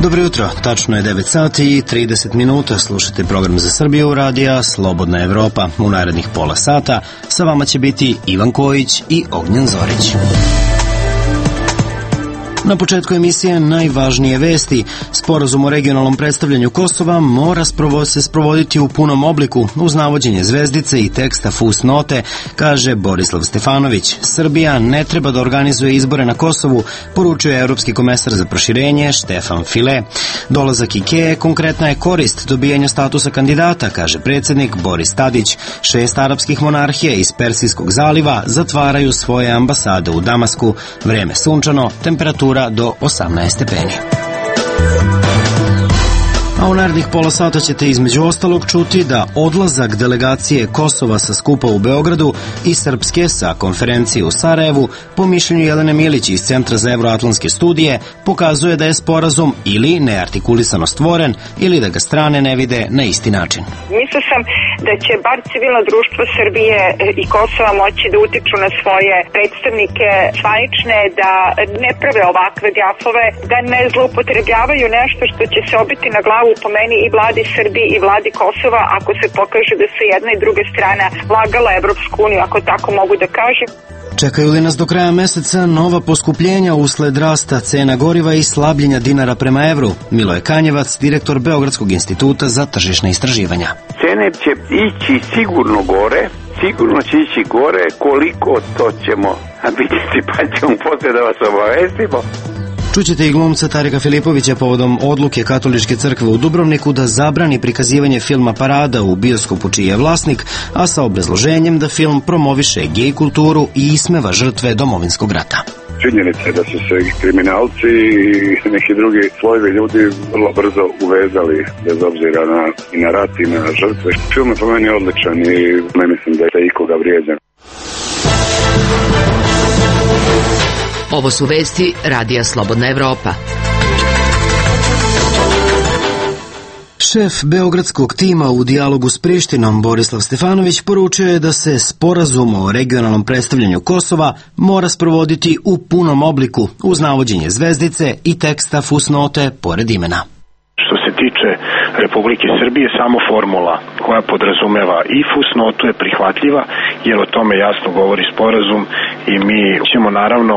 Dobro jutro, tačno je 9 sati i 30 minuta, slušate program za Srbiju radija Slobodna Evropa. U narednih pola sata sa vama će biti Ivan Kojić i Ognjen Zorić. Na početku emisije najvažnije vesti. Sporazum o regionalnom predstavljanju Kosova mora se sprovoditi u punom obliku uz navođenje zvezdice i teksta fusnote, kaže Borislav Stefanović. Srbija ne treba da organizuje izbore na Kosovu, poručuje evropski komesar za proširenje Štefan File. Dolazak IKEA konkretna je korist dobijanja statusa kandidata, kaže predsjednik Boris Tadić. 6 arapskih monarhija iz Persijskog zaliva zatvaraju svoje ambasade u Damasku. Vreme sunčano, temperatura do 18 stepeni. A u narednih pola sata ćete između ostalog čuti da odlazak delegacije Kosova sa skupa u Beogradu i Srpske sa konferencije u Sarajevu, po mišljenju Jelene Milić iz Centra za evroatlantske studije, pokazuje da je sporazum ili neartikulisano stvoren ili da ga strane ne vide na isti način. Mislio sam da će bar civilno društvo Srbije i Kosova moći da utiču na svoje predstavnike zvanične, da ne prave ovakve gafove, da ne zloupotrebljavaju nešto što će se obiti na glavu po meni i vladi Srbije i vladi Kosova ako se pokaže da se jedna i druga strana lagala Evropsku uniju, ako tako mogu da kažem. Čekaju li nas do kraja meseca nova poskupljenja usled rasta cena goriva i slabljenja dinara prema evru? Miloje Kanjevac, direktor Beogradskog instituta za tržišna istraživanja. Cene će ići sigurno gore, koliko to ćemo vidjeti, pa ćemo poslije da vas obavestimo. Čućete i glumca Tarika Filipovića povodom odluke Katoličke crkve u Dubrovniku da zabrani prikazivanje filma Parada u bioskopu čiji je vlasnik, a sa obrazloženjem da film promoviše gej kulturu i ismeva žrtve Domovinskog rata. Činjenica je da su se kriminalci i neki drugi slojevi ljudi vrlo brzo uvezali, bez obzira na rat i na žrtve. Film je po meni odličan i ne mislim da je ikoga vrijeđan. Ovo su vesti Radija Slobodna Evropa. Šef beogradskog tima u dijalogu s Prištinom, Borislav Stefanović, poručio je da se sporazum o regionalnom predstavljanju Kosova mora sprovoditi u punom obliku uz navođenje zvezdice i teksta fusnote pored imena. Što se tiče Republike Srbije, samo formula koja podrazumeva i fusnotu je prihvatljiva, jer o tome jasno govori sporazum i mi ćemo naravno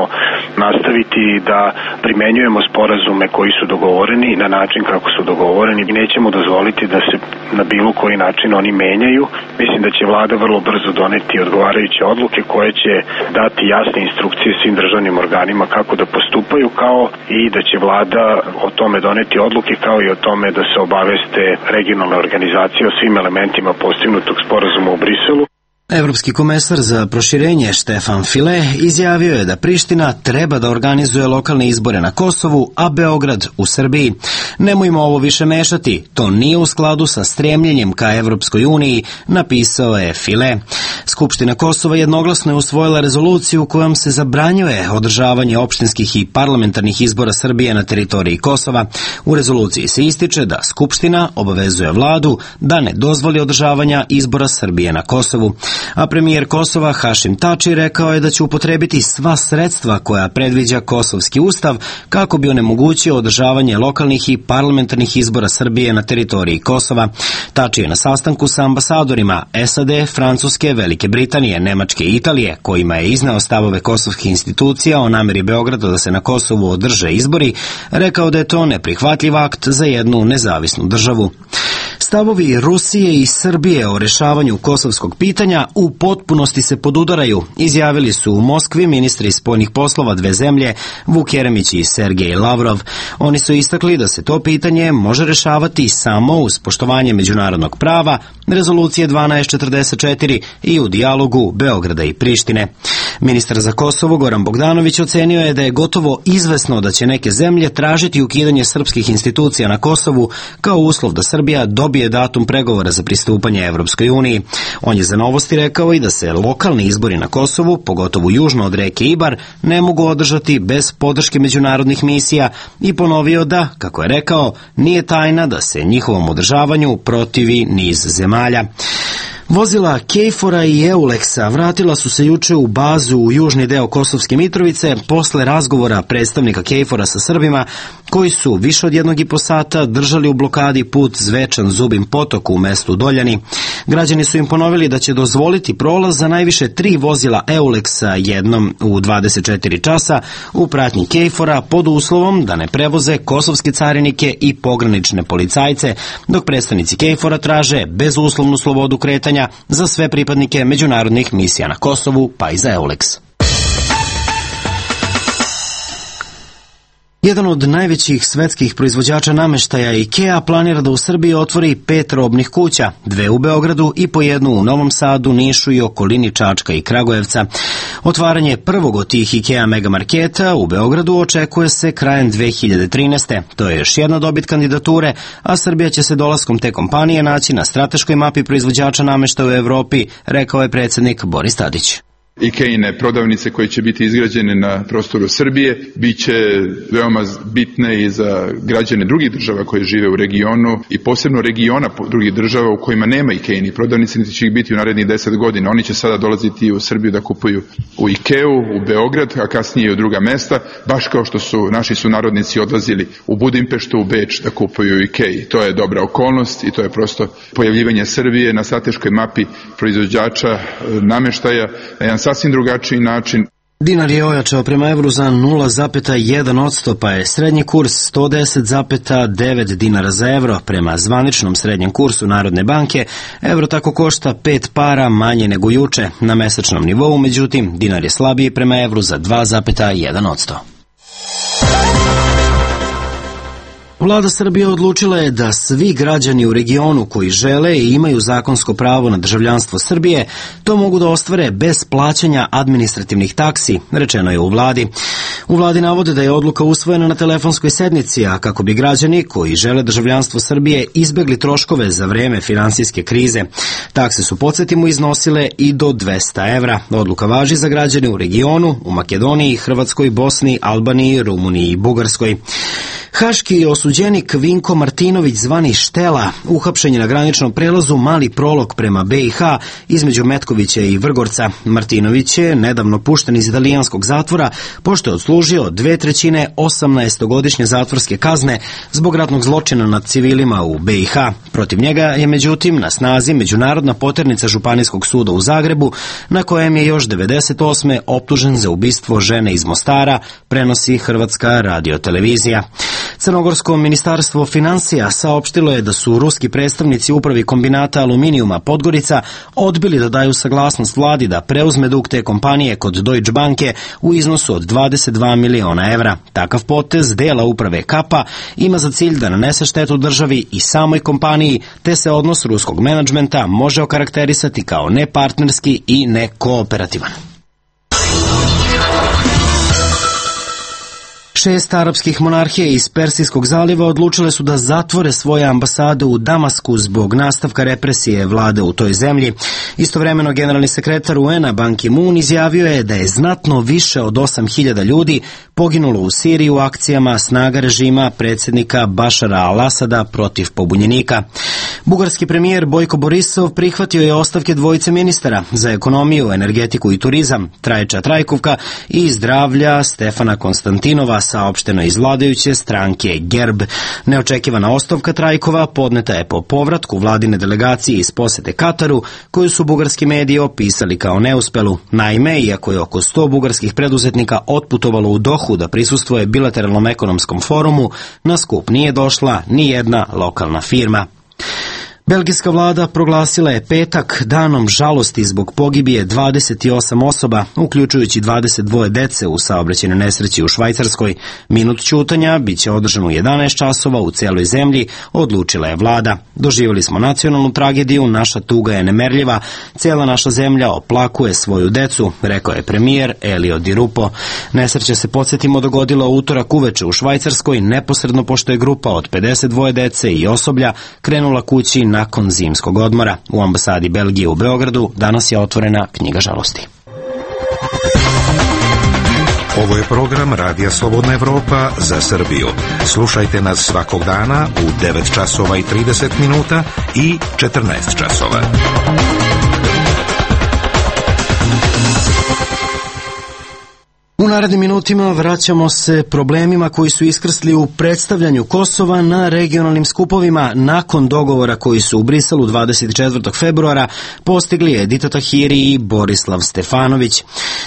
nastaviti da primenjujemo sporazume koji su dogovoreni na način kako su dogovoreni i nećemo dozvoliti da se na bilo koji način oni menjaju. Mislim da će vlada vrlo brzo doneti odgovarajuće odluke koje će dati jasne instrukcije svim državnim organima kako da postupaju, kao i da će vlada o tome doneti odluke, kao i o tome da se obaveste regionalne organizacije o svim elementima postignutog sporazuma u Briselu. Evropski komesar za proširenje Štefan File izjavio je da Priština treba da organizuje lokalne izbore na Kosovu, a Beograd u Srbiji. Nemojmo ovo više mešati, to nije u skladu sa stremljenjem ka Evropskoj uniji, napisao je File. Skupština Kosova jednoglasno je usvojila rezoluciju kojom se zabranjuje održavanje opštinskih i parlamentarnih izbora Srbije na teritoriji Kosova. U rezoluciji se ističe da Skupština obavezuje vladu da ne dozvoli održavanja izbora Srbije na Kosovu. A premijer Kosova Hašim Tači rekao je da će upotrebiti sva sredstva koja predviđa Kosovski ustav kako bi onemogućio održavanje lokalnih i parlamentarnih izbora Srbije na teritoriji Kosova. Tači je na sastanku sa ambasadorima SAD, Francuske, Velike Britanije, Nemačke i Italije, kojima je izneo stavove kosovskih institucija o nameri Beograda da se na Kosovu održe izbori, rekao da je to neprihvatljiv akt za jednu nezavisnu državu. Stavovi Rusije i Srbije o rešavanju kosovskog pitanja u potpunosti se podudaraju, izjavili su u Moskvi ministri spoljnih poslova dve zemlje, Vuk Jeremić i Sergej Lavrov. Oni su istakli da se to pitanje može rešavati samo uz poštovanje međunarodnog prava, rezolucije 1244 i u dijalogu Beograda i Prištine. Ministar za Kosovo Goran Bogdanović ocenio je da je gotovo izvesno da će neke zemlje tražiti ukidanje srpskih institucija na Kosovu kao uslov da Srbija dobije datum pregovora za pristupanje Evropskoj uniji. On je za Novosti rekao i da se lokalni izbori na Kosovu, pogotovo južno od reke Ibar, ne mogu održati bez podrške međunarodnih misija i ponovio da, kako je rekao, nije tajna da se njihovom održavanju protivi niz zemalja. Vozila KFOR-a i Eulexa vratila su se juče u bazu u južni deo Kosovske Mitrovice posle razgovora predstavnika KFOR-a sa Srbima koji su više od 1,5 sata držali u blokadi put Zvečan Zubin Potok u mestu Doljani. Građani su im ponovili da će dozvoliti prolaz za najviše 3 vozila Eulexa jednom u 24 časa u pratnji KFOR-a pod uslovom da ne prevoze kosovske carinike i pogranične policajce, dok predstavnici KFOR-a traže bezuslovnu slobodu kretanja za sve pripadnike međunarodnih misija na Kosovu, pa i za Eulex. Jedan od najvećih svetskih proizvođača nameštaja IKEA planira da u Srbiji otvori 5 robnih kuća, 2 u Beogradu i po 1 u Novom Sadu, Nišu i okolini Čačka i Kragujevca. Otvaranje prvog od tih IKEA megamarketa u Beogradu očekuje se krajem 2013. To je još jedna dobit kandidature, a Srbija će se dolaskom te kompanije naći na strateškoj mapi proizvođača nameštaja u Evropi, rekao je predsjednik Boris Tadić. IKEA-ine prodavnice koje će biti izgrađene na prostoru Srbije bit će veoma bitne i za građane drugih država koje žive u regionu i posebno regiona drugih država u kojima nema IKEA-inih prodavnice, niti će ih biti u narednih 10 godina. Oni će sada dolaziti u Srbiju da kupuju u IKEA-u, u Beograd, a kasnije i u druga mesta, baš kao što su naši sunarodnici odlazili u Budimpeštu, u Beč da kupuju u IKEA-i. To je dobra okolnost i to je prosto pojavljivanje Srbije na strateškoj mapi proizvođača nameštaja na jedan sasvim drugačiji način. Dinar je ojačao prema evru za 0,1%, pa je srednji kurs 110,9 dinara za evro. Prema zvaničnom srednjem kursu Narodne banke, evro tako košta 5 para manje nego juče. Na mesečnom nivou, međutim, dinar je slabiji prema evru za 2,1%. Vlada Srbije odlučila je da svi građani u regionu koji žele i imaju zakonsko pravo na državljanstvo Srbije to mogu da ostvare bez plaćanja administrativnih taksi, rečeno je u vladi. U vladi navode da je odluka usvojena na telefonskoj sednici, a kako bi građani koji žele državljanstvo Srbije izbegli troškove za vreme finansijske krize. Takse su, podsjetimo, iznosile i do 200 evra. Odluka važi za građane u regionu, u Makedoniji, Hrvatskoj, Bosni, Albaniji, Rumuniji i Bugarskoj. Haški osuđenik Vinko Martinović zvani Štela uhapšen je na graničnom prelazu Mali Prolog prema BiH između Metkovića i Vrgorca. Martinović je nedavno pušten iz italijanskog zatvora pošto je odslužio 2/3 18-godišnje zatvorske kazne zbog ratnog zločina nad civilima u BiH. Protiv njega je međutim na snazi međunarodna poternica Županijskog suda u Zagrebu, na kojem je još 98. optužen za ubistvo žene iz Mostara, prenosi Hrvatska radiotelevizija. Crnogorsko ministarstvo finansija saopštilo je da su ruski predstavnici upravi kombinata aluminijuma Podgorica odbili da daju saglasnost vladi da preuzme dug te kompanije kod Deutsche Banke u iznosu od 22 miliona evra. Takav potez dela uprave Kapa ima za cilj da nanese štetu državi i samoj kompaniji, te se odnos ruskog menadžmenta može okarakterisati kao nepartnerski i nekooperativan. 6 arapskih monarhija iz Persijskog zaliva odlučile su da zatvore svoje ambasade u Damasku zbog nastavka represije vlade u toj zemlji. Istovremeno, generalni sekretar UN-a Ban Ki-moon izjavio je da je znatno više od 8.000 ljudi poginulo u Siriji u akcijama snaga režima predsjednika Bašara al-Asada protiv pobunjenika. Bugarski premijer Bojko Borisov prihvatio je ostavke dvojice ministara za ekonomiju, energetiku i turizam, Trajča Trajkovka i zdravlja Stefana Konstantinova, saopšteno iz vladajuće stranke GERB. Neočekivana ostavka Trajkova podneta je po povratku vladine delegacije iz posete Kataru, koju su bugarski mediji opisali kao neuspelu. Naime, iako je oko 100 bugarskih preduzetnika otputovalo u Dohu da prisustvuje bilateralnom ekonomskom forumu, na skup nije došla ni jedna lokalna firma. Belgijska vlada proglasila je petak danom žalosti zbog pogibije 28 osoba, uključujući 22 dece u saobraćajnoj nesreći u Švajcarskoj. Minut ćutanja biće održan u 11 časova u celoj zemlji, odlučila je vlada. Doživjeli smo nacionalnu tragediju, naša tuga je nemerljiva, cijela naša zemlja oplakuje svoju decu, rekao je premijer Elio Di Rupo. Nesreća se, podsjetimo, dogodila u utorak uveče u Švajcarskoj, neposredno pošto je grupa od 52 dece i osoblja krenula kući nakon zimskog odmora. U ambasadi Belgije u Beogradu danas je otvorena knjiga žalosti. Ovo je program Radija Slobodna Evropa za Srbiju. Slušajte nas svakog dana u 9 časova i 30 minuta i 14 časova. U narednim minutima vraćamo se problemima koji su iskrsli u predstavljanju Kosova na regionalnim skupovima nakon dogovora koji su u Briselu 24. februara postigli Edita Tahiri i Borislav Stefanović.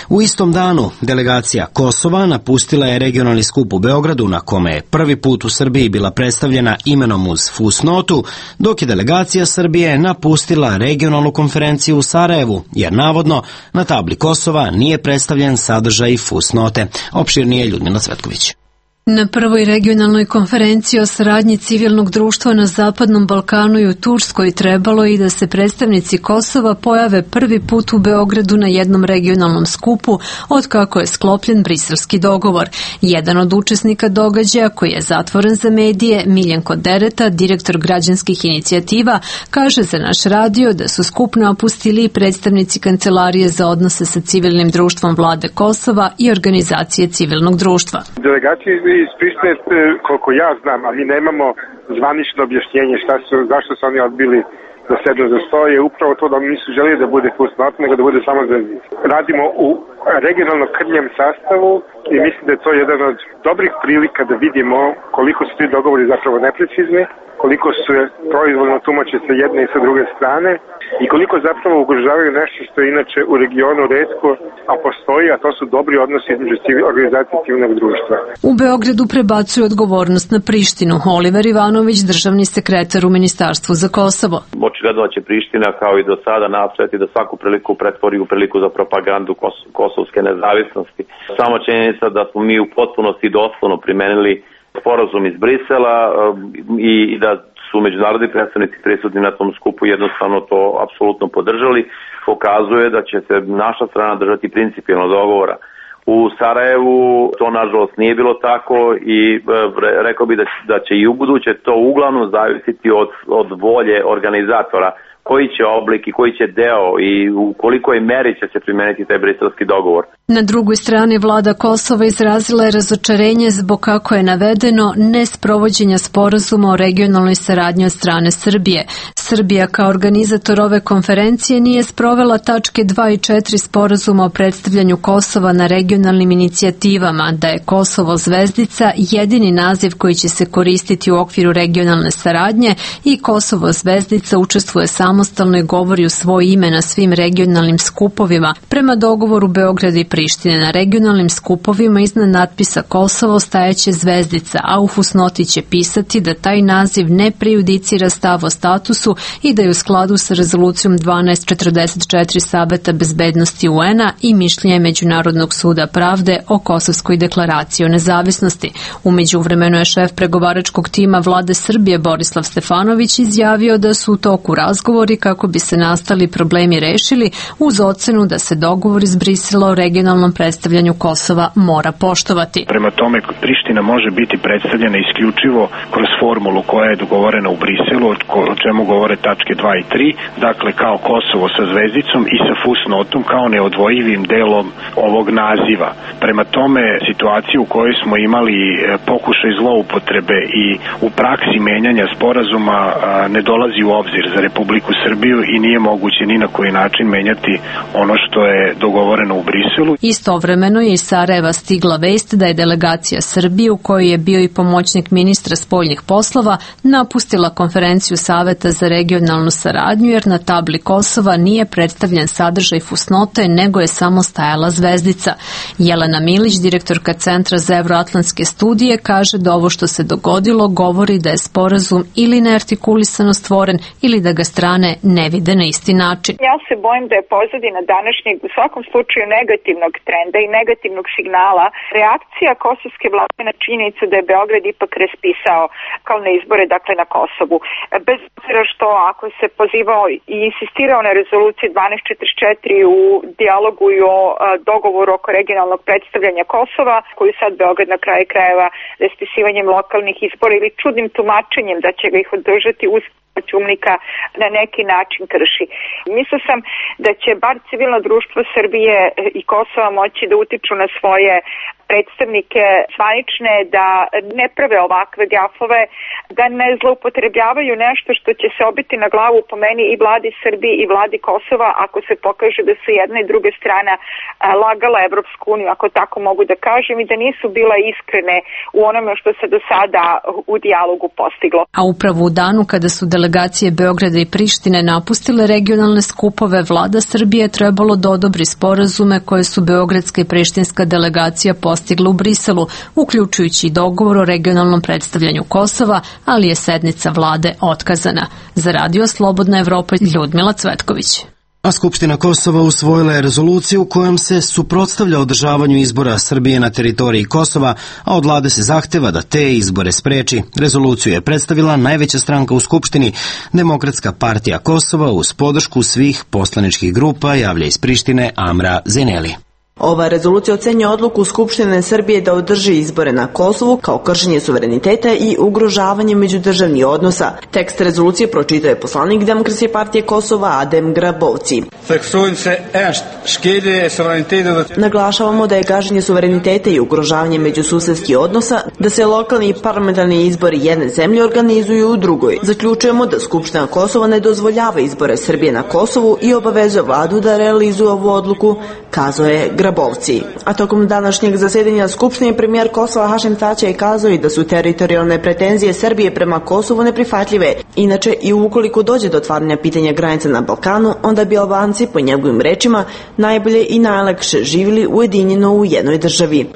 U istom danu delegacija Kosova napustila je regionalni skup u Beogradu na kome je prvi put u Srbiji bila predstavljena imenom uz fusnotu, dok je delegacija Srbije napustila regionalnu konferenciju u Sarajevu, jer navodno na tabli Kosova nije predstavljen sadržaj fusnote. Opširnije Ljudmila Cvetković. Na prvoj regionalnoj konferenciji o saradnji civilnog društva na Zapadnom Balkanu i u Turskoj trebalo je i da se predstavnici Kosova pojave prvi put u Beogradu na jednom regionalnom skupu od kako je sklopljen briselski dogovor. Jedan od učesnika događaja koji je zatvoren za medije, Miljenko Dereta, direktor građanskih inicijativa, kaže za naš radio da su skup napustili i predstavnici Kancelarije za odnose sa civilnim društvom vlade Kosova i organizacije civilnog društva. Delegacije iz Prištine, koliko ja znam, a mi nemamo zvanično objašnjenje zašto su oni odbili da sednu za sto, je upravo to da oni nisu želeli da bude fusnot, nego da bude samo zvezdica. Radimo u regionalno krnjem sastavu i mislim da je to jedan od dobrih prilika da vidimo koliko su ti dogovori zapravo neprecizni, koliko su proizvoljno tumače sa jedne i sa druge strane i koliko zapravo ugrožavaju nešto što je inače u regionu retko, a postoji, a to su dobri odnosi između organizacije civilnog društva. U Beogradu prebacuju odgovornost na Prištinu. Oliver Ivanović, državni sekretar u Ministarstvu za Kosovo. Očigledno će Priština kao i do sada nastojati da svaku priliku pretvori u priliku za propagandu kosovske nezavisnosti. Samo činjenica da smo mi u potpunosti doslovno primenili sporazum iz Brisela i da su međunarodni predstavnici prisutni na tom skupu jednostavno to apsolutno podržali, pokazuje da će se naša strana držati principijelno dogovora. U Sarajevu to nažalost nije bilo tako i rekao bi da će i u buduće to uglavnom zavisiti od volje organizatora, koji će oblik i koji će deo i u kolikoj meri će se primeniti taj briselski dogovor. Na drugoj strani vlada Kosova izrazila je razočarenje zbog, kako je navedeno, nesprovođenja sporazuma o regionalnoj saradnji od strane Srbije. Srbija kao organizator ove konferencije nije sprovela tačke 2 i 4 sporazuma o predstavljanju Kosova na regionalnim inicijativama, da je Kosovo zvezdica jedini naziv koji će se koristiti u okviru regionalne saradnje i Kosovo zvezdica učestvuje samostalno i govori u svoje ime na svim regionalnim skupovima. Prema dogovoru Beograda i Prištine na regionalnim skupovima iznad natpisa Kosovo stajeće zvezdica, a u fusnoti će pisati da taj naziv ne prejudicira stav o statusu i da je u skladu sa rezolucijom 1244 Saveta bezbednosti UN-a i mišljenje Međunarodnog suda pravde o Kosovskoj deklaraciji o nezavisnosti. U međuvremenu je šef pregovaračkog tima vlade Srbije Borislav Stefanović izjavio da su u toku razgovori kako bi se nastali problemi rešili uz ocenu da se dogovor iz Brisela o regionalnom predstavljanju Kosova mora poštovati. Prema tome, Priština može biti predstavljena isključivo kroz formulu koja je dogovorena u Briselu, o čemu govore tačke 2 i 3, dakle kao Kosovo sa zvezdicom i sa fusnotom kao neodvojivim delom ovog naziva. Prema tome, situaciju u kojoj smo imali pokušaj zloupotrebe i u praksi menjanja sporazuma ne dolazi u obzir za Republiku Srbiju i nije moguće ni na koji način menjati ono što je dogovoreno u Briselu. Istovremeno je iz Sarajeva stigla vest da je delegacija Srbije, u kojoj je bio i pomoćnik ministra spoljnih poslova, napustila konferenciju Saveta za regionalnu saradnju jer na tabli Kosova nije predstavljen sadržaj fusnote, nego je samo stajala zvezdica. Jelena Milić, direktorka Centra za evroatlantske studije, kaže da ovo što se dogodilo govori da je sporazum ili neartikulisano stvoren ili da ga strane ne vide na isti način. Ja se bojim da je pozadina današnjeg u svakom slučaju negativnog trenda i negativnog signala reakcija kosovske vlade na činjenicu da je Beograd ipak raspisao kao na izbore, dakle na Kosovu. Bez obzira što ako se pozivao i insistirao na rezoluciji 1244 u dijalogu i o dogovoru oko regionalnog predstavljanja Kosova, koju sad Beograd na kraju krajeva raspisivanjem lokalnih izbora ili čudnim tumačenjem da će ga ih održati uz ćumnika na neki način krši. Mislio sam da će bar civilno društvo Srbije i Kosova moći da utiču na svoje predstavnike zvanične, da ne prave ovakve gafove, da ne zloupotrebljavaju nešto što će se obiti na glavu po meni i vladi Srbije i vladi Kosova ako se pokaže da su jedna i druga strana lagala Evropsku uniju, ako tako mogu da kažem, i da nisu bila iskrene u onome što se do sada u dijalogu postiglo. A upravo u danu kada su delegacije Beograda i Prištine napustile regionalne skupove, vlada Srbije je trebalo da odobri sporazume koje su beogradska i prištinska delegacija postigla u Briselu, uključujući i dogovor o regionalnom predstavljanju Kosova, ali je sednica vlade otkazana. Za Radio Slobodna Evropa, Ljudmila Cvetković. A Skupština Kosova usvojila je rezoluciju kojom se suprotstavlja održavanju izbora Srbije na teritoriji Kosova, a od vlade se zahteva da te izbore spreči. Rezoluciju je predstavila najveća stranka u Skupštini, Demokratska partija Kosova, uz podršku svih poslaničkih grupa, javlja iz Prištine Amra Zeneli. Ova rezolucija ocenjuje odluku Skupštine Srbije da održi izbore na Kosovu kao kršenje suvereniteta i ugrožavanje međudržavnih odnosa. Tekst rezolucije pročitao je poslanik Demokratske partije Kosova Adem Grabovci. Naglašavamo da je gaženje suvereniteta i ugrožavanje međususedskih odnosa, da se lokalni i parlamentarni izbori jedne zemlje organizuju u drugoj. Zaključujemo da Skupština Kosova ne dozvoljava izbore Srbije na Kosovu i obavezuje vladu da realizuje ovu odluku, kazao je Grabovci. A tokom današnjeg zasedanja Skupštine premijer Kosova Hašim Tači je kazao i da su teritorijalne pretenzije Srbije prema Kosovu neprihvatljive. Inače, i ukoliko dođe do otvaranja pitanja granica na Balkanu, onda bi Albanci, po njegovim rečima, najbolje i najlakše živjeli ujedinjeno u jednoj državi.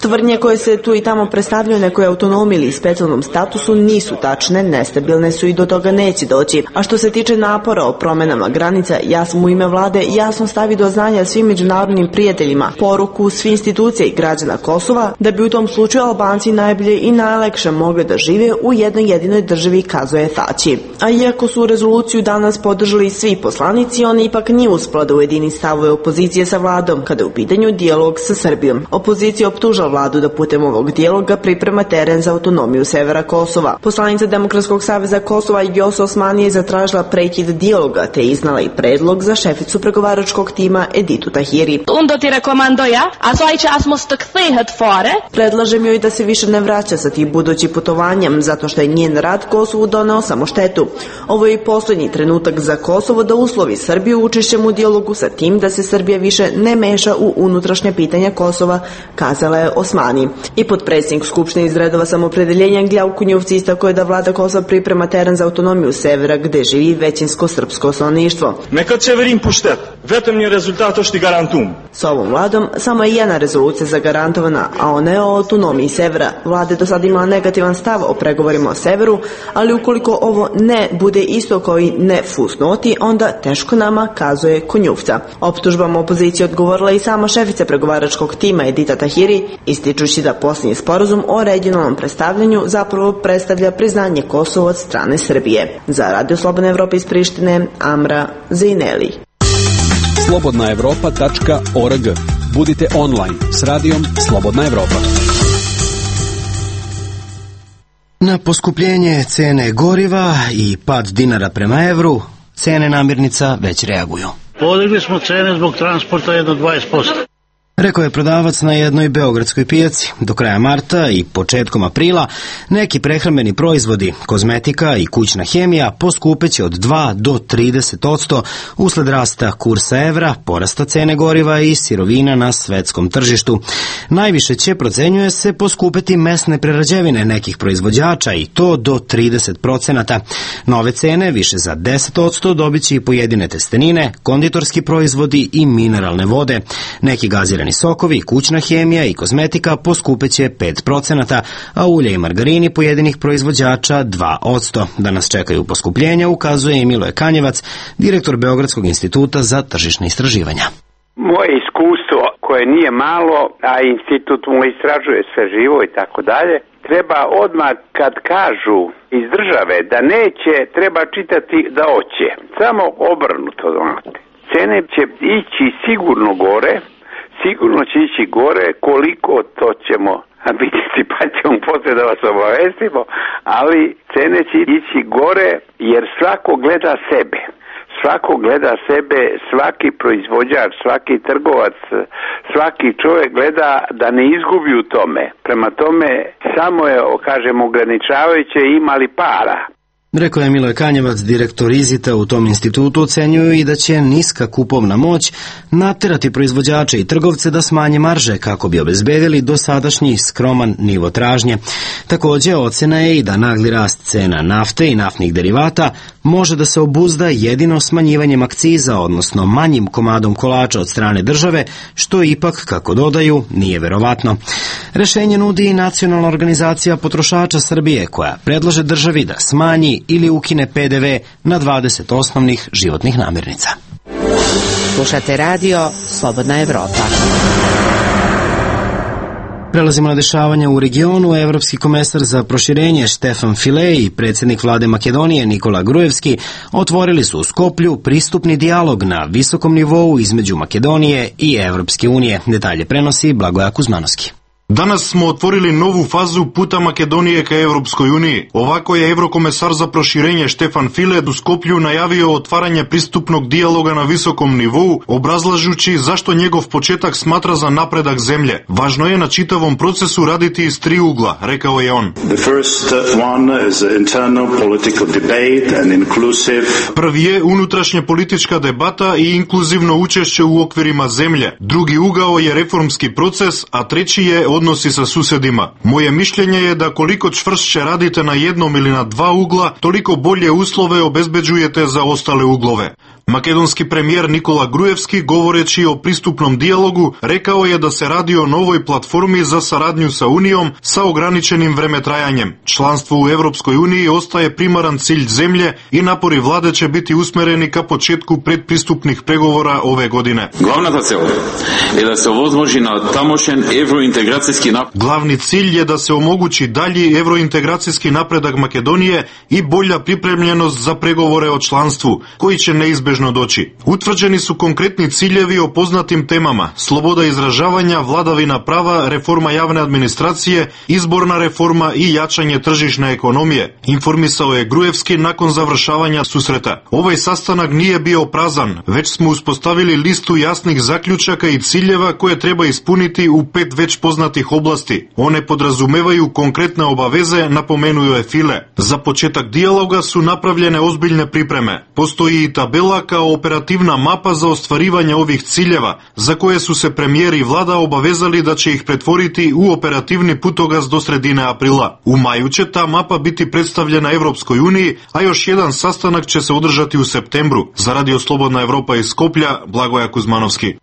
Tvrdnje koje se tu i tamo predstavljaju nekoj autonomiji ili specijalnom statusu nisu tačne, nestabilne su i do toga neće doći. A što se tiče napora o promenama granica, ja sam u ime vlade jasno stavi do znanja svim međunarodnim prijateljima poruku svih institucija i građana Kosova da bi u tom slučaju Albanci najbolje i najlakše mogli da žive u jednoj jedinoj državi, kazuje Tači. A iako su rezoluciju danas podržali svi poslanici, on ipak nije uspela da ujedini stavove opozicije sa vladom kada je u pitanju dijalog sa Srbijom. Opozicija optuža vladu da putem ovog dijaloga priprema teren za autonomiju severa Kosova. Poslanica Demokratskog saveza Kosova Vjosa Osmani je zatražila prekid dijaloga te iznala i predlog za šeficu pregovaračkog tima Editu Tahiri. Predlažem joj da se više ne vraća sa tim budućim putovanjem, zato što je njen rad Kosovu doneo samo štetu. Ovo je i posljednji trenutak za Kosovo da uslovi Srbiju učešćem u dijalogu sa tim da se Srbija više ne meša u unutrašnje pitanja Kosova, kazala je Osmani. I potpredsjednik Skupštine iz redova Samopredeljenja Gljav Kunjovci istakao je da vlada Kosova priprema teren za autonomiju severa gde živi većinsko srpsko stanovništvo. Neka Čeverin puštet, vetëm një rezultat është i garantum. Sa ovom vladom samo je jedna rezolucija zagarantovana, a ona je o autonomiji severa. Vlada je do sada imala negativan stav o pregovorima o severu, ali ukoliko ovo ne bude isto kao i ne fusnoti, onda teško nama, kazuje Kunjuvca. Optužbama opozicije odgovorila i sama šefica pregovaračkog tima Edita Tahiri, ističući da posljednji sporazum o regionalnom predstavljanju zapravo predstavlja priznanje Kosova od strane Srbije. Za Radio Slobodna Evropa iz Prištine, Amra Zeneli. slobodnaevropa.org. Budite online s radijom Slobodna Evropa. Na poskupljenje cene goriva i pad dinara prema evru, cene namirnica već reaguju. Podigli smo cene zbog transporta jedno 20%. Rekao je prodavac na jednoj beogradskoj pijaci. Do kraja marta i početkom aprila neki prehrambeni proizvodi, kozmetika i kućna hemija poskupeće od 2 do 30% usled rasta kursa evra, porasta cene goriva i sirovina na svetskom tržištu. Najviše će, procenjuje se, poskupeti mesne prerađevine nekih proizvođača i to do 30%. Nove cene, više za 10%, dobiće i pojedine testenine, konditorski proizvodi i mineralne vode. Neki gazirani sokovi, kućna hemija i kozmetika poskupeće 5%, a ulje i margarini pojedinih proizvođača 2%. Da nas čekaju poskupljenja, ukazuje i Miloje Kanjevac, direktor Beogradskog instituta za tržišne istraživanja. Moje iskustvo, koje nije malo, a institut mu istražuje sve živo i tako dalje, treba odmah kad kažu iz države da neće, treba čitati da hoće. Samo obrnuto, znate. Cene će ići sigurno gore, koliko to ćemo vidjeti, pa ćemo ćemo poslije da vas obavestimo, ali cene će ići gore jer svako gleda sebe. Svako gleda sebe, svaki proizvođač, svaki trgovac, svaki čovjek gleda da ne izgubi u tome. Prema tome, samo je, kažem, ograničavajuće imali para. Rekao je Miloje Kanjevac, direktor Izita u tom institutu. Ocenjuju i da će niska kupovna moć naterati proizvođače i trgovce da smanje marže kako bi obezbedili dosadašnji skroman nivo tražnje. Također ocena je i da nagli rast cena nafte i naftnih derivata može da se obuzda jedino smanjivanjem akciza, odnosno manjim komadom kolača od strane države, što ipak, kako dodaju, nije verovatno. Rešenje nudi i Nacionalna organizacija potrošača Srbije, koja predlaže državi da smanji ili ukine PDV na 20 osnovnih životnih namirnica. Slušate radio Slobodna Evropa. Prelazimo na dešavanja u regionu. Evropski komesar za proširenje Štefan File i predsjednik vlade Makedonije Nikola Grujevski otvorili su u Skoplju pristupni dijalog na visokom nivou između Makedonije i Evropske unije. Detalje prenosi Blagoja Kuzmanovski. Danas smo otvorili novu fazu puta Makedonije ka Evropskoj uniji. Ovako je evrokomesar za proširenje Štefan File u Skoplju najavio otvaranje pristupnog dijaloga na visokom nivou, obrazlažući zašto njegov početak smatra za napredak zemlje. Važno je na čitavom procesu raditi iz tri ugla, rekao je on. Prvi je unutrašnja politička debata i inkluzivno učešće u okvirima zemlje. Drugi ugao je reformski proces, a treći je odnosi sa susjedima. Moje mišljenje je da koliko čvršće radite na jednom ili na dva ugla, toliko bolje uslove obezbeđujete za ostale uglove. Makedonski premijer Nikola Grujevski, govoreći o pristupnom dijalogu, rekao je da se radi o novoj platformi za saradnju sa Unijom sa ograničenim vremetrajanjem. Članstvo u Evropskoj uniji ostaje primaran cilj zemlje i napori vlade će biti usmereni ka početku predpristupnih pregovora ove godine. Glavni cilj je da se omogući dalji evrointegracijski napredak Makedonije i bolja pripremljenost za pregovore o članstvu, koji će neizbežno doći. Utvrđeni su konkretni ciljevi o poznatim temama: sloboda izražavanja, vladavina prava, reforma javne administracije, izborna reforma i jačanje tržišne ekonomije, informisao je Grujevski nakon završavanja susreta. Ovaj sastanak nije bio prazan, već smo uspostavili listu jasnih zaključaka i ciljeva koje treba ispuniti u 5 već poznatih oblasti. One podrazumevaju konkretne obaveze, napomenuo je File. Za početak dijaloga su napravljene ozbiljne pripreme. Postoji i tabela kao operativna mapa za ostvarivanje ovih ciljeva, za koje su se premijer i vlada obavezali da će ih pretvoriti u operativni putokaz do sredine aprila. U maju će ta mapa biti predstavljena Evropskoj uniji, a još jedan sastanak će se održati u septembru. Za Radio Slobodna Evropa iz Skoplja, Blagoja Kuzmanovski.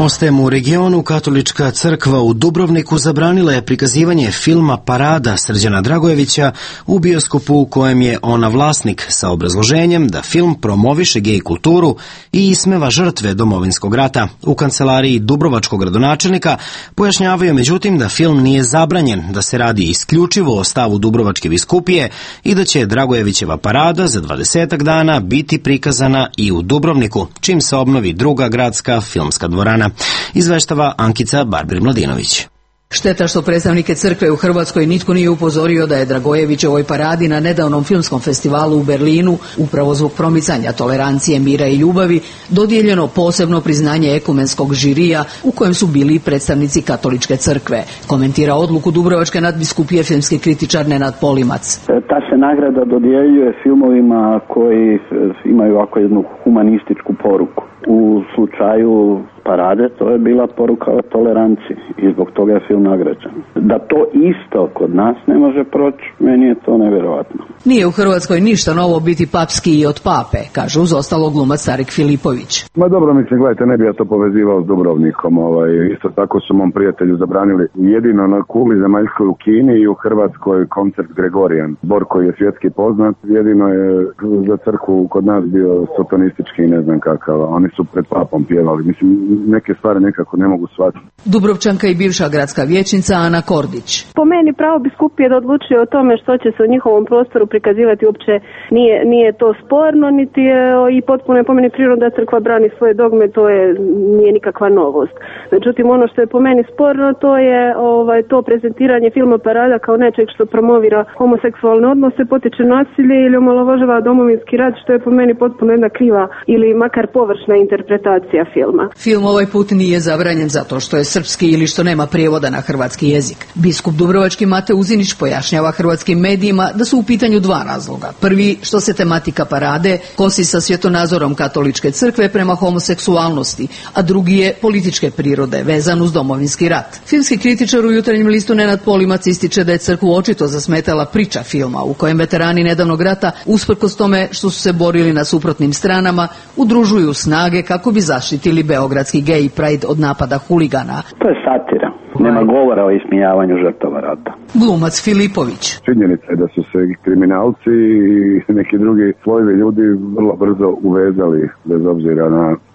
Ostajemo u regionu. Katolička crkva u Dubrovniku zabranila je prikazivanje filma Parada Srđana Dragojevića u bioskopu u kojem je ona vlasnik, sa obrazloženjem da film promoviše gej kulturu i ismeva žrtve Domovinskog rata. U kancelariji dubrovačkog gradonačelnika pojašnjavaju međutim da film nije zabranjen, da se radi isključivo o stavu Dubrovačke biskupije i da će Dragojevićeva parada za 20 dana biti prikazana i u Dubrovniku, čim se obnovi druga gradska filmska dvorana. Izveštava Ankica Barbir-Mladinović. Šteta što predstavnike crkve u Hrvatskoj nitko nije upozorio da je Dragojevićevoj paradi na nedavnom filmskom festivalu u Berlinu, upravo zbog promicanja tolerancije, mira i ljubavi, dodijeljeno posebno priznanje ekumenskog žirija u kojem su bili predstavnici katoličke crkve. Komentira odluku Dubrovačke nadbiskupije filmski kritičar Nenad Polimac. Ta se nagrada dodjeljuje filmovima koji imaju ovako jednu humanističku poruku. U slučaju Parade to je bila poruka o toleranciji i zbog toga je film nagrađen. Da to isto kod nas ne može proći, meni je to nevjerojatno. Nije u Hrvatskoj ništa novo biti papski i od pape, kaže uz ostalo glumac Tarik Filipović. Ma dobro, mislim, gledajte, ne bi ja to povezivao s Dubrovnikom. Isto tako su mom prijatelju zabranili jedino na kugli zemaljskoj u Kini i u Hrvatskoj koncert Gregorijan. Zbor koji je svjetski poznat, jedino je za crkvu kod nas bio sotonistički i ne znam kakav. Oni su su pred papom pjevali. Mislim, neke stvari nekako ne mogu shvatiti. Dubrovčanka i bivša gradska vijećnica Ana Kordić. Po meni pravo biskupije da odlučuje o tome što će se u njihovom prostoru prikazivati uopće nije to sporno, niti je i potpuno je po meni prirodno da crkva brani svoje dogme, nije nikakva novost. Međutim, ono što je po meni sporno, to je to prezentiranje filma Parada kao nečeg što promovira homoseksualne odnose, potiče nasilje ili omalovažava domovinski rat, što je po meni potpuno jedna kriva ili makar površna interpretacija filma. Film ovaj put nije zabranjen zato što je srpski ili što nema prijevoda na hrvatski jezik. Biskup dubrovački Mate Uzinić pojašnjava hrvatskim medijima da su u pitanju dva razloga. Prvi, što se tematika parade kosi sa svjetonazorom katoličke crkve prema homoseksualnosti, a drugi je političke prirode, vezan uz domovinski rat. Filmski kritičar u Jutarnjem listu Nenad Polimac ističe da je crkvu očito zasmetala priča filma u kojem veterani nedavnog rata, usprkos tome što su se borili na suprotnim stranama, udružuju snage kako bi zaštitili beogradski gay pride od napada huligana. To je satira. Nema govora o ismijavanju žrtava rata. Glumac Filipović. Činjenica je da su se kriminalci i neki drugi slojevi ljudi vrlo brzo uvezali, bez obzira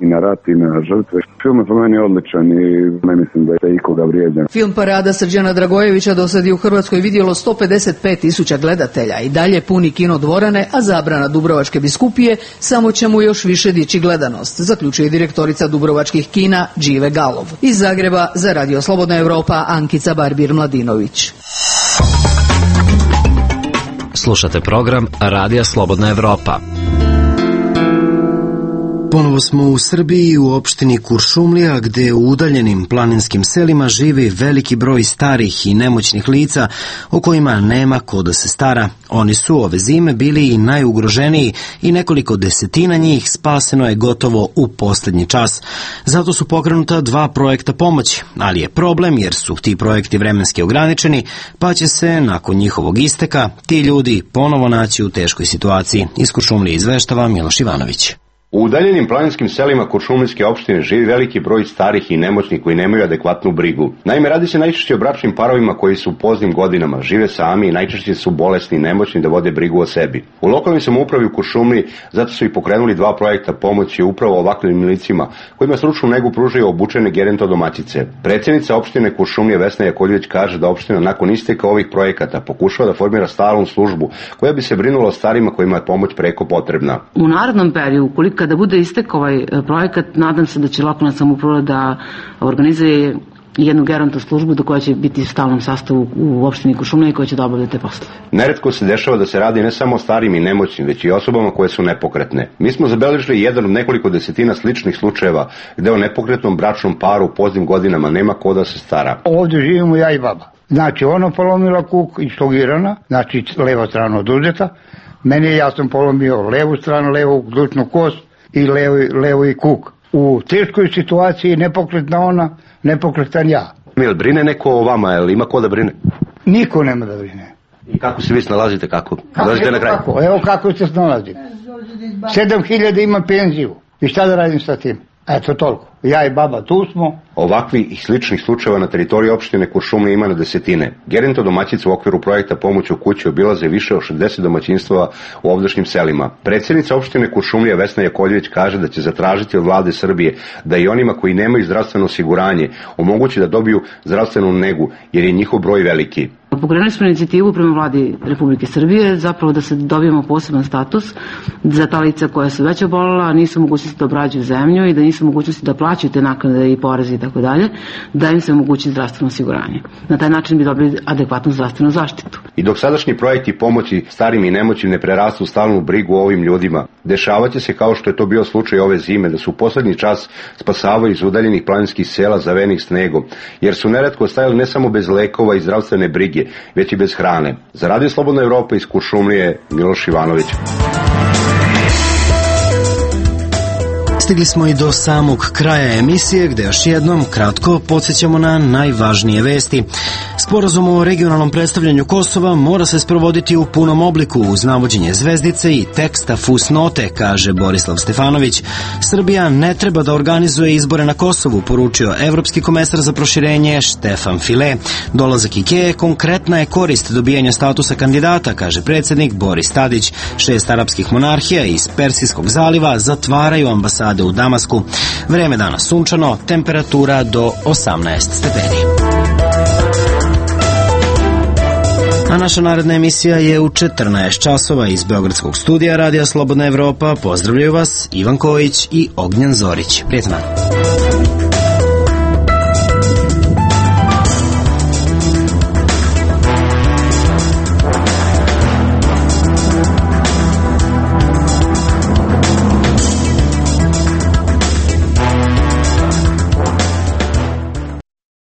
i na rat i na žrtve. Film je po meni odličan i ne mislim da je ikoga vrijeđan. Film Parada Srđana Dragojevića dosad je u Hrvatskoj vidjelo 155.000 gledatelja i dalje puni kino dvorane, a zabrana Dubrovačke biskupije samo će mu još više dići gledanost, zaključuje direktorica dubrovačkih kina Džive Galov. Iz Zagreba za Radio Slobodna Evropa Ankica Barbir-Mladinović. Slušate program Radija Slobodna Evropa. Ponovo smo u Srbiji u opštini Kuršumlija, gde u udaljenim planinskim selima živi veliki broj starih i nemoćnih lica o kojima nema ko da se stara. Oni su ove zime bili i najugroženiji i nekoliko desetina njih spaseno je gotovo u poslednji čas. Zato su pokrenuta 2 projekta pomoći, ali je problem jer su ti projekti vremenski ograničeni, pa će se nakon njihovog isteka ti ljudi ponovo naći u teškoj situaciji. Iz Kuršumlije izveštava Miloš Ivanović. U udaljenim planinskim selima Kuršumlijske opštine živi veliki broj starih i nemoćnih koji nemaju adekvatnu brigu. Naime, radi se najčešće o bračnim parovima koji su u poznim godinama, žive sami i najčešće su bolesni i nemoćni da vode brigu o sebi. U lokalnoj samoupravi u Kuršumliji zato su i pokrenuli 2 projekta pomoći upravo ovakvim licima, kojima stručnu negu pružaju obučene gerontodomaćice. Predsjednica opštine Kuršumlije Vesna Jakovljević kaže da opština nakon isteka ovih projekata pokušava da formira stalnu službu koja bi se brinula o starima kojima je pomoć preko potrebna. U narednom periodu, kada bude istek ovaj projekat, nadam se da će lokalna samouprava da organizuje jednu geronto službu do koja će biti u stalnom sastavu u opštini Kuršumlija i koja će da obavlja te poslove. Neretko se dešava da se radi ne samo o starim i nemoćnim, već i osobama koje su nepokretne. Mi smo zabeležili jedan od nekoliko desetina sličnih slučajeva gde o nepokretnom bračnom paru u poznim godinama nema ko da se stara. Ovdje živimo ja i baba. Znači ono polomila kuk i stogirana, znači leva strana oduzeta. Ja sam polomio levu stranu, levu glučnu kost i levi kuk. U teškoj situaciji nepokretna ona, nepokretan ja. Jel brine neko o vama, jel ima ko da brine? Niko nema da brine. I kako se vi snalazite, kako? Evo kako se snalazim. 7.000 ima penziju. I šta da radim sa tim? Eto toliko. Ja i baba tu smo. Ovakvi i sličnih slučajeva na teritoriji opštine Kuršumlija ima na desetine. Gerontodomaćice u okviru projekta Pomoć u kući obilaze više od 60 domaćinstava u ovdašnjim selima. Predsjednica opštine Kuršumlija Vesna Jakovljević kaže da će zatražiti od vlade Srbije da i onima koji nemaju zdravstveno osiguranje omogući da dobiju zdravstvenu negu, jer je njihov broj veliki. Pokrenuli smo inicijativu prema vladi Republike Srbije, zapravo da se dobijemo poseban status za ta lica koja su već obolela, nisu mogućnosti da obrađuju zemlju i da nisu mogućnosti da plaćaju te naknade i poreze i tako dalje, da im se omogući zdravstveno osiguranje. Na taj način bi dobili adekvatnu zdravstvenu zaštitu. I dok sadašnji projekti pomoći starim i nemoćnim ne prerastu stalnu brigu o ovim ljudima, dešavaće se kao što je to bio slučaj ove zime, da su u poslednji čas spasavaju iz udaljenih planinskih sela zavenih snegom, jer su neretko ostajali ne samo bez lekova i zdravstvene brige, već i bez hrane. Za Radio Slobodna Evropa iz Kuršumlije, Miloš Ivanović. Stigli smo i do samog kraja emisije, gde još jednom kratko podsjećamo na najvažnije vesti. Sporazum o regionalnom predstavljanju Kosova mora se sprovoditi u punom obliku uz navođenje zvezdice i teksta fusnote, kaže Borislav Stefanović. Srbija ne treba da organizuje izbore na Kosovu, poručio evropski komesar za proširenje Štefan File. Dolazak Ikeje konkretna je korist dobijanja statusa kandidata, kaže predsjednik Boris Tadić. 6 arapskih monarhija iz Persijskog zaliva zatvaraju ambasade vlade u Damasku. Vreme dana sunčano, temperatura do 18 stepeni. A naša naredna emisija je u 14 časova iz Beogradskog studija Radija Slobodna Evropa. Pozdravljaju vas Ivan Kojić i Ognjen Zorić. Prijetno.